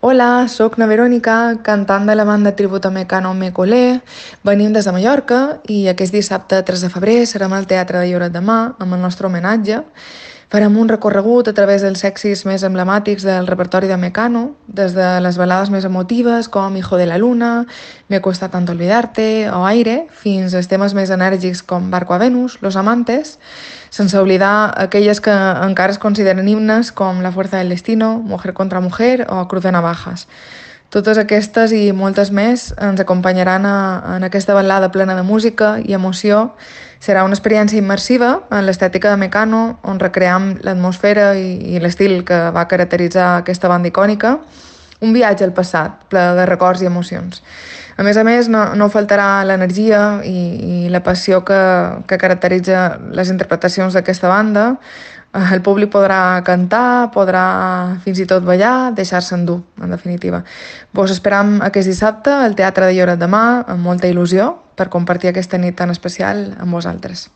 Hola, sóc na Verònica, cantant de la banda tributo a Mecano Mecolé. Venim des de Mallorca i aquest dissabte 3 de febrer serem al Teatre de Lloret de Mar amb el nostre homenatge. Farem un recorregut a través dels èxits més emblemàtics del repertori de Mecano, des de les balades més emotives com Hijo de la Luna, Me cuesta tanto olvidarte o Aire, fins als temes més enèrgics com Barco a Venus, Los Amantes, sense oblidar aquelles que encara es consideren himnes com La fuerza del destino, Mujer contra mujer o Cruz de navajas. Totes aquestes i moltes més ens acompanyaran en aquesta balada plena de música i emoció. Serà una experiència immersiva en l'estètica de Mecano, on recream l'atmosfera i l'estil que va caracteritzar aquesta banda icònica. Un viatge al passat, ple de records i emocions. A més, no faltarà l'energia i la passió que caracteritza les interpretacions d'aquesta banda. El públic podrà cantar, podrà fins i tot ballar, deixar-se endur, en definitiva. Vos esperam aquest dissabte al Teatre de Lloret de Mar amb molta il·lusió per compartir aquesta nit tan especial amb vosaltres.